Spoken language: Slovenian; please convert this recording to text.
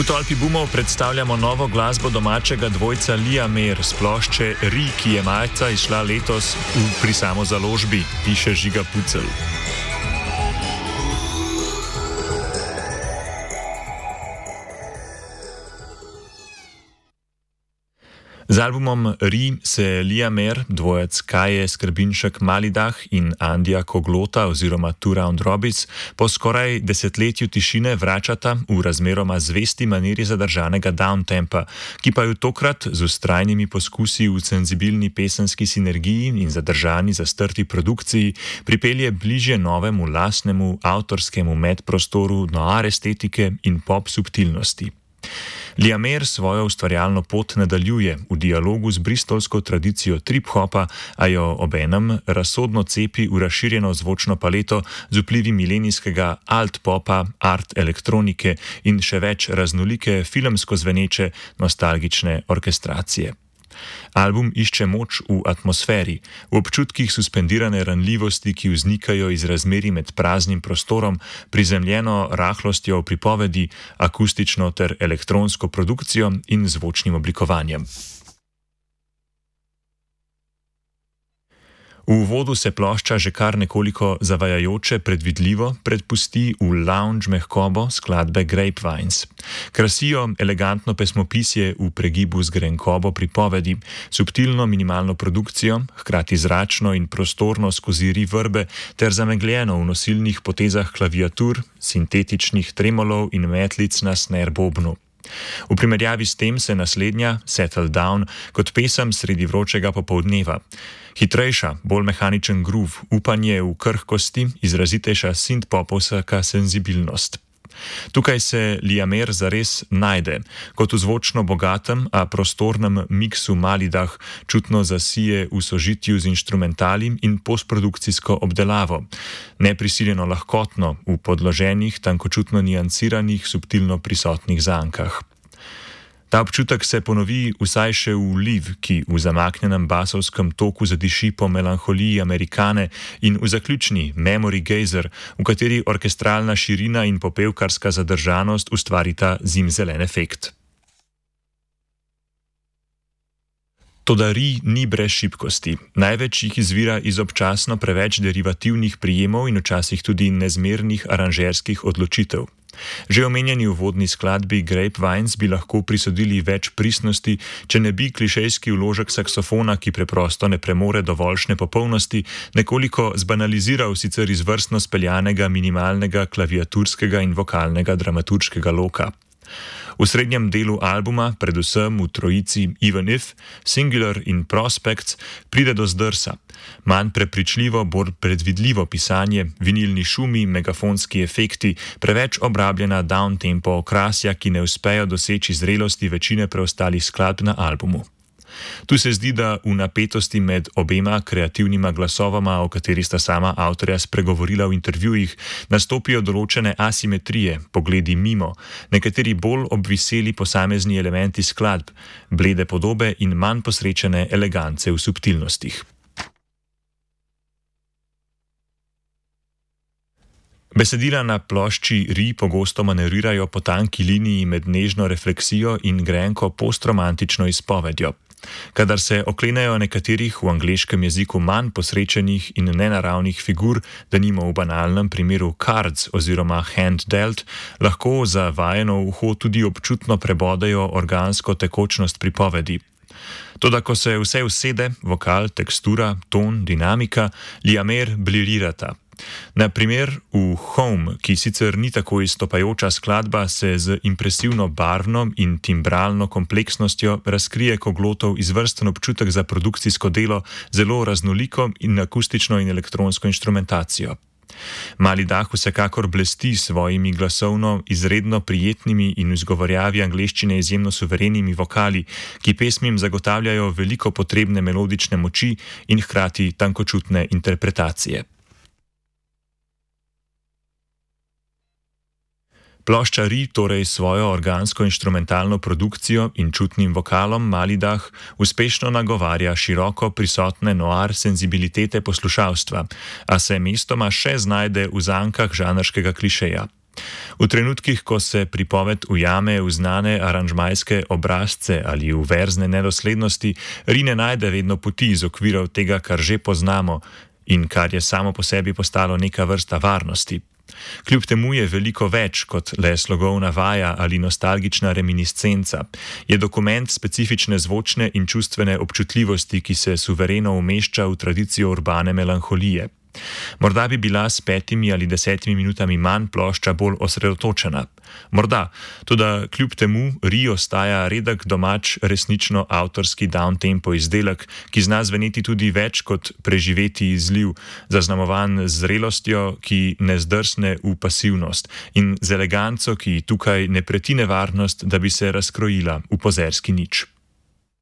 V Tolpi Bumov predstavljamo novo glasbo domačega dvojca Liamer s plošče Ri, ki je marca izšla letos pri samozaložbi, piše Žiga Pucelj. Z albumom Ri se Liamer, dvojec Kaje Skrbinšek Malidah in Andija Koglota oziroma Two Round Robbits po skoraj desetletju tišine vračata v razmeroma zvesti maniri zadržanega downtempa, ki pa ju tokrat z vztrajnimi poskusi v senzibilni pesenski sinergiji in zadržani zastrti produkciji pripelje bližje novemu lastnemu avtorskemu medprostoru noir estetike in pop subtilnosti. Liamer svojo ustvarjalno pot nadaljuje v dialogu z bristolsko tradicijo trip-hopa, a jo obenem razsodno cepi v razširjeno zvočno paleto z vplivi milenijskega alt-popa, art elektronike in še več raznolike filmsko zveneče nostalgične orkestracije. Album išče moč v atmosferi, v občutkih suspendirane ranljivosti, ki vznikajo iz razmerij med praznim prostorom, prizemljeno rahlostjo v pripovedi, akustično ter elektronsko produkcijo in zvočnim oblikovanjem. V uvodu se plošča že kar nekoliko zavajajoče predvidljivo predpusti v lounge mehkobo skladbe Grapevines. Krasijo elegantno pesmopisje v pregibu z grenkobo pripovedi, subtilno minimalno produkcijo, hkrati zračno in prostorno skozi reverbe ter zamegljeno v nosilnih potezah klaviatur, sintetičnih tremolov in metlic na snare bobnu. V primerjavi s tem se naslednja, Settle Down, kot pesem sredi vročega popoldneva. Hitrejša, bolj mehaničen groove, upanje v krhkosti, izrazitejša synth-popovska senzibilnost. Tukaj se Liamer zares najde, kot v zvočno bogatem, a prostornem miksu Malidah čutno zasije v sožitju z inštrumentali in postprodukcijsko obdelavo, neprisiljeno lahkotno v podloženih, tankočutno nianciranih, subtilno prisotnih zankah. Ta občutek se ponovi vsaj še v Liv, ki v zamaknjenem basovskem toku zadiši po melanholiji Amerikane, in v zaključni Memory Gazer, v kateri orkestralna širina in popevkarska zadržanost ustvarita zimzelen efekt. Toda Ri ni brez šibkosti. Največ jih izvira iz občasno preveč derivativnih prijemov in včasih tudi nezmernih aranžerskih odločitev. Že omenjeni uvodni skladbi Grapevines bi lahko prisodili več pristnosti, če ne bi klišejski vložek saksofona, ki preprosto ne premore dovoljšne popolnosti, nekoliko zbanaliziral sicer izvrstno speljanega minimalnega klaviaturskega in vokalnega dramaturškega loka. V srednjem delu albuma, predvsem v trojici Even If, Singular in Prospects, pride do zdrsa. Manj prepričljivo, bolj predvidljivo pisanje, vinilni šumi, megafonski efekti, preveč obrabljena downtempo okrasja, ki ne uspejo doseči zrelosti večine preostalih skladb na albumu. Tu se zdi, da v napetosti med obema kreativnima glasovama, o kateri sta sama avtorja spregovorila v intervjujih, nastopijo določene asimetrije, pogledi mimo, nekateri bolj obviseli posamezni elementi skladb, blede podobe in manj posrečene elegance v subtilnostih. Besedila na plošči Ri pogosto manevrirajo po tanki liniji med nežno refleksijo in grenko postromantično izpovedjo. Kadar se oklenejo nekaterih v angleškem jeziku manj posrečenih in nenaravnih figur, denimo v banalnem primeru cards oziroma hand dealt, lahko za vajeno uho tudi občutno prebodejo organsko tekočnost pripovedi. Toda ko se vse usede, vokal, tekstura, ton, dinamika, Liamer briljirata. Na primer v Home, ki sicer ni tako izstopajoča skladba, se z impresivno barvno in timbralno kompleksnostjo razkrije Koglotov izvrsten občutek za produkcijsko delo, zelo raznoliko in akustično in elektronsko inštrumentacijo. Malidah vsekakor blesti s svojimi glasovno izredno prijetnimi in v izgovorjavi angleščine izjemno suverenimi vokali, ki pesmim zagotavljajo veliko potrebne melodične moči in hkrati tankočutne interpretacije. Plošča Ri torej svojo organsko-inštrumentalno produkcijo in čutnim vokalom Malidah uspešno nagovarja široko prisotne noir senzibilitete poslušalstva, a se mestoma še znajde v zankah žanrskega klišeja. V trenutkih, ko se pripoved ujame v znane aranžmajske obrazce ali v verzne nedoslednosti, Ri ne najde vedno poti iz okvirov tega, kar že poznamo in kar je samo po sebi postalo neka vrsta varnosti. Kljub temu je veliko več kot le slogovna vaja ali nostalgična reminiscenca. Je dokument specifične zvočne in čustvene občutljivosti, ki se suvereno umešča v tradicijo urbane melanholije. Morda bi bila s 5 ali 10 minutami manj plošča bolj osredotočena. Morda, toda kljub temu Ri ostaja redek domač resnično avtorski downtempo izdelek, ki zna zveneti tudi več kot preživeti izliv, zaznamovan z zrelostjo, ki ne zdrsne v pasivnost, in z eleganco, ki tukaj ne preti nevarnost, da bi se razkrojila v pozerski nič.